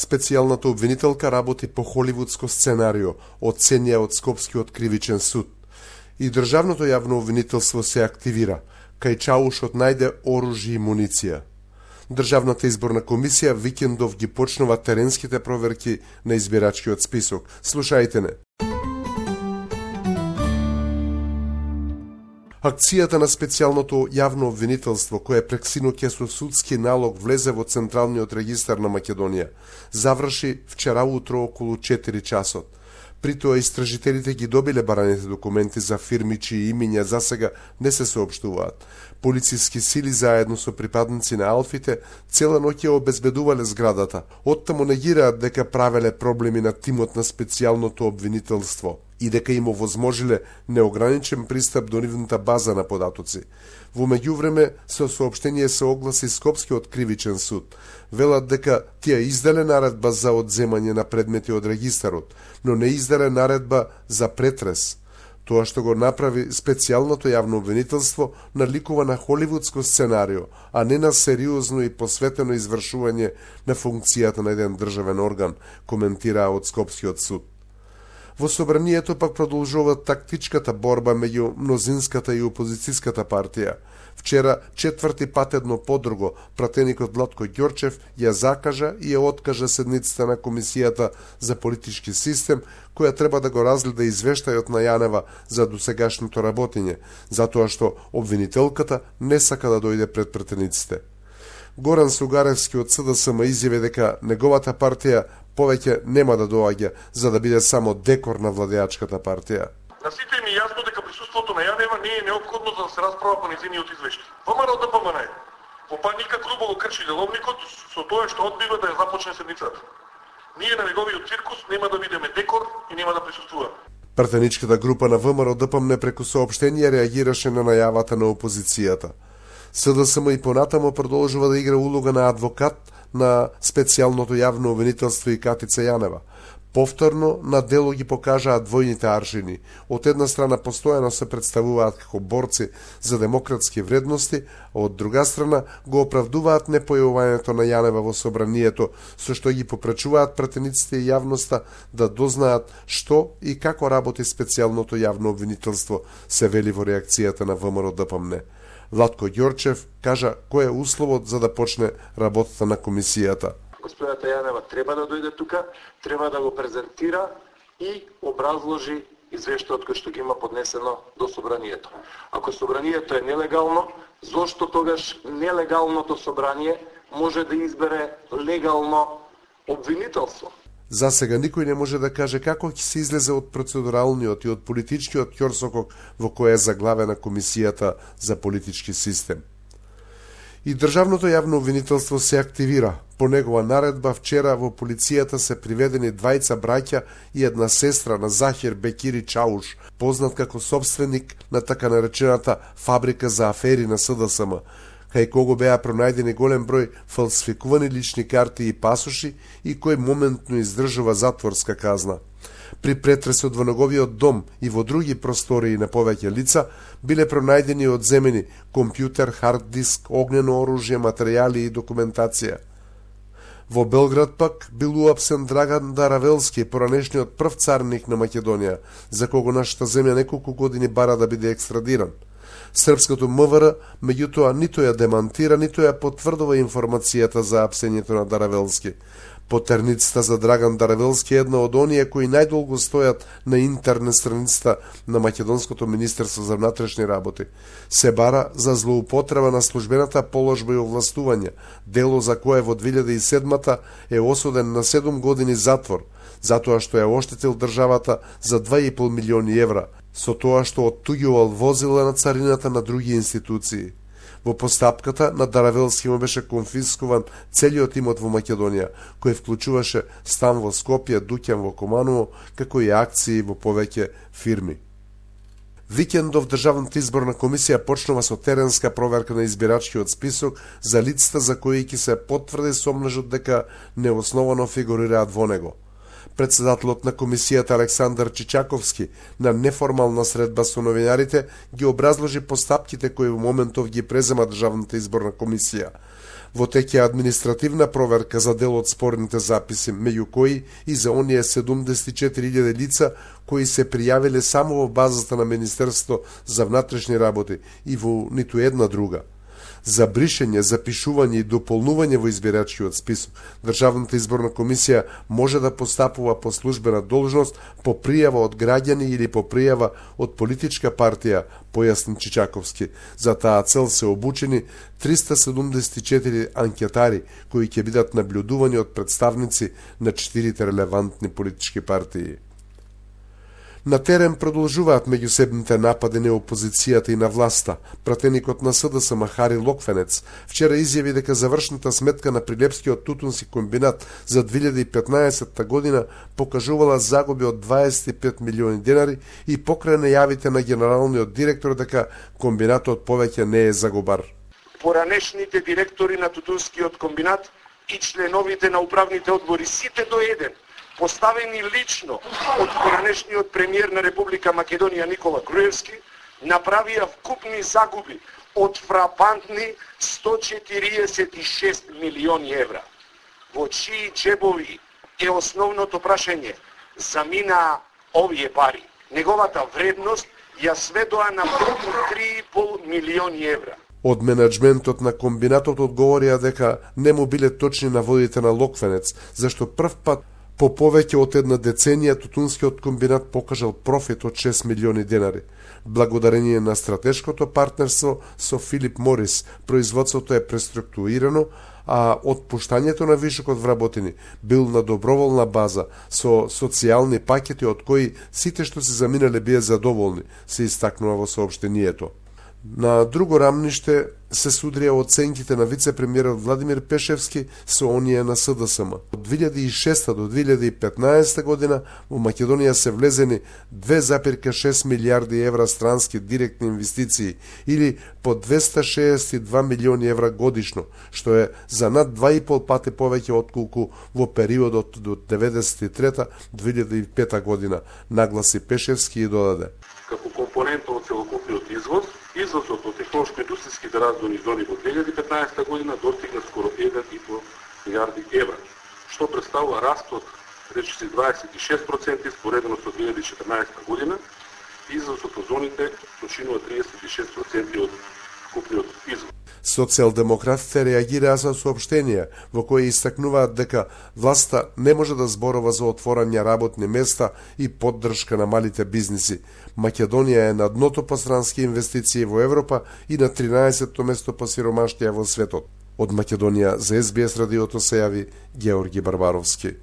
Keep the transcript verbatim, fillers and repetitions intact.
Специјалната обвинителка работи по холивудско сценарио, оценија од Скопскиот кривичен суд. И државното јавно обвинителство се активира. Кај Чаушот најде оружје и муниција. Државната изборна комисија викендов ги почнува теренските проверки на избирачкиот список. Слушајте не. Акцијата на специјалното јавно обвинителство, кое прек синоќа со судски налог влезе во Централниот регистар на Македонија, заврши вчера утро околу четири часот. При тоа истражителите ги добиле бараните документи за фирми чии имиња засега не се соопштуваат. Полициски сили заедно со припадници на Алфите цела ноќ ја обезбедувале зградата. Оттаму негираат дека правеле проблеми на тимот на специјалното обвинителство и дека им овозможиле неограничен пристап до нивната база на податоци. Во меѓувреме, со соопштение се огласи Скопскиот кривичен суд. Велат дека тие издале наредба за одземање на предмети од регистарот, но не издале наредба за претрес. Тоа што го направи специјалното јавно обвинителство наликува на холивудско сценарио, а не на сериозно и посветено извршување на функцијата на еден државен орган, коментира од Скопскиот суд. Во собранието пак продолжува тактичката борба меѓу мнозинската и опозицијската партија. Вчера, четврти пат едно подруго, пратеникот Владко Ѓорчев ја закажа и ја откажа седницата на Комисијата за политички систем, која треба да го разгледа извештајот на Јанева за досегашното работење, затоа што обвинителката не сака да дојде пред пратениците. Горан Сугаревски од С Д С М изјави дека неговата партија повеќе нема да доаѓа за да биде само декор на владеачката партија. На сите ми е јасно дека присуството на Јанева не е неопходно за да се расправа по незиниот извештај. ВМРО Д П М Н е. По паника грубо го крши деловникот со тоа што одбива да ја започне седницата. Ние на неговиот циркус нема да бидеме декор и нема да присуствуваме. Пратеничката група на ВМРО Д П М Н преку соопштенија реагираше на најавата на опозицијата. С Д С М и понатамо продолжува да игра улога на адвокат на специјалното јавно обвинителство и Катица Јанева. Повторно на дело ги покажаат двојните аршини. Од една страна постојано се представуваат како борци за демократски вредности, а од друга страна го оправдуваат непојавувањето на Јанева во собранието, со што ги попречуваат пратениците и јавноста да дознаат што и како работи специјалното јавно обвинителство, се вели во реакцијата на ВМРО Д П М Н. Владко Ѓорчев кажа кој е условот за да почне работата на комисијата. Господјата Јанева треба да дојде тука, треба да го презентира и образложи извештајот кој што ги има поднесено до собранието. Ако собранието е нелегално, зошто тогаш нелегалното собрание може да избере легално обвинителство? За сега никој не може да каже како ќе се излезе од процедуралниот и од политичкиот ќорсокок во кој е заглавена Комисијата за политички систем. И државното јавно обвинителство се активира. По негова наредба вчера во полицијата се приведени двајца браќа и една сестра на Захир Бекири Чауш, познат како собственик на така наречената фабрика за афери на С Д С М, кај кого беа пронајдени голем број фалсификувани лични карти и пасоши и кој моментно издржува затворска казна. При претресот во неговиот дом и во други простории на повеќе лица биле пронајдени и одземени компјутер, хард диск, огнено оружје, материјали и документација. Во Белград пак бил уапсен Драган Даравелски, поранешниот прв царник на Македонија, за кого нашата земја неколку години бара да биде екстрадиран. Српското М В Р, меѓутоа, нито ја демантира, нито ја потврдува информацијата за апсењето на Даравелски. Потерницата за Драган Даравелски е една од оние кои најдолго стојат на интернет страницата на Македонското министерство за внатрешни работи. Се бара за злоупотреба на службената положба и овластување, дело за кое во две илјади и седма е осуден на седум години затвор, затоа што ја оштетил државата за два и пол милиони евра, со тоа што оттуѓувал возила на царината на други институции. Во постапката на Даравелски му беше конфискуван целиот имот во Македонија, кој вклучуваше стан во Скопје, дуќан во Команово, како и акции во повеќе фирми. Викендов Државната изборна комисија почнува со теренска проверка на избирачкиот список за лицата за кои ќе се потврди сомнежот дека неосновано фигурираат во него. Председателот на комисијата Александар Чичаковски на неформална средба со новинарите ги образложи постапките кои во моментов ги презема Државната изборна комисија. Во тек е административна проверка за дел од спорните записи, меѓу кои и за оние седумдесет и четири илјади лица кои се пријавиле само во базата на Министерството за внатрешни работи и во ниту една друга. За бришење, запишување и дополнување во избирачкиот список, Државната изборна комисија може да постапува по службена должност по пријава од граѓани или по пријава од политичка партија, појасни Чичаковски. За таа цел се обучени триста седумдесет и четири анкетари кои ќе бидат наблюдувани од представници на четирите релевантни политички партии. На терен продолжуваат меѓусебните напади на опозицијата и на власта. Пратеникот на СДСМ Хари Локвенец вчера изјави дека завршната сметка на Прилепскиот тутунски комбинат за две илјади и петнаесетта година покажувала загуби од дваесет и пет милиони денари и покрај најавите на генералниот директор дека комбинатот повеќе не е загубар. Поранешните директори на тутунскиот комбинат и членовите на управните одбори, сите до еден, поставени лично од поранешниот премиер на Република Македонија Никола Груевски, направија вкупни загуби од фрапантни сто четириесет и шест милиони евра. Во чии джебови е основното прашање? Заминаа овие пари. Неговата вредност ја сведоа на три и пол милиони евра. Од менеджментот на комбинатот одговорија дека не му биле точни наводите на Локвенец, зашто прв пат по повеќе од една деценија тутунскиот комбинат покажал профит од шест милиони денари. Благодарение на стратешкото партнерство со Филип Морис, производството е преструктурирано, а отпуштањето на вишокот вработени бил на доброволна база со социјални пакети од кои сите што се заминале бие задоволни, се истакнува во соопштението. На друго рамниште се судрија оценките на вице-премиерот Владимир Пешевски со оние на СДСМ. Од две илјади и шеста до две илјади и петнаесетта година во Македонија се влезени две запирка шест милијарди евра странски директни инвестиции или по двеста шеесет и два милиони евра годишно, што е за над два и пол пати повеќе отколку во периодот до деветдесет и трета до две илјади и пета година, нагласи Пешевски и додаде. Како компонента од целокупниот извоз, Извозот од технолошко-индустријските развојни зони во две илјади и петнаесетта година достигна скоро еден и пол милијарди евра, што представува раст од речиси дваесет и шест проценти споредено со две илјади и четрнаесетта година. Извозот од зоните починува триесет и шест проценти од вкупниот извоз. Социјалдемократите реагираа со соопштенија во кои истакнуваат дека власта не може да зборува за отворање работни места и поддршка на малите бизниси. Македонија е на дното по странски инвестиции во Европа и на тринаесетто место по сиромаштија во светот. Од Македонија за Ес Би Ес радиото се јави Георги Барбаровски.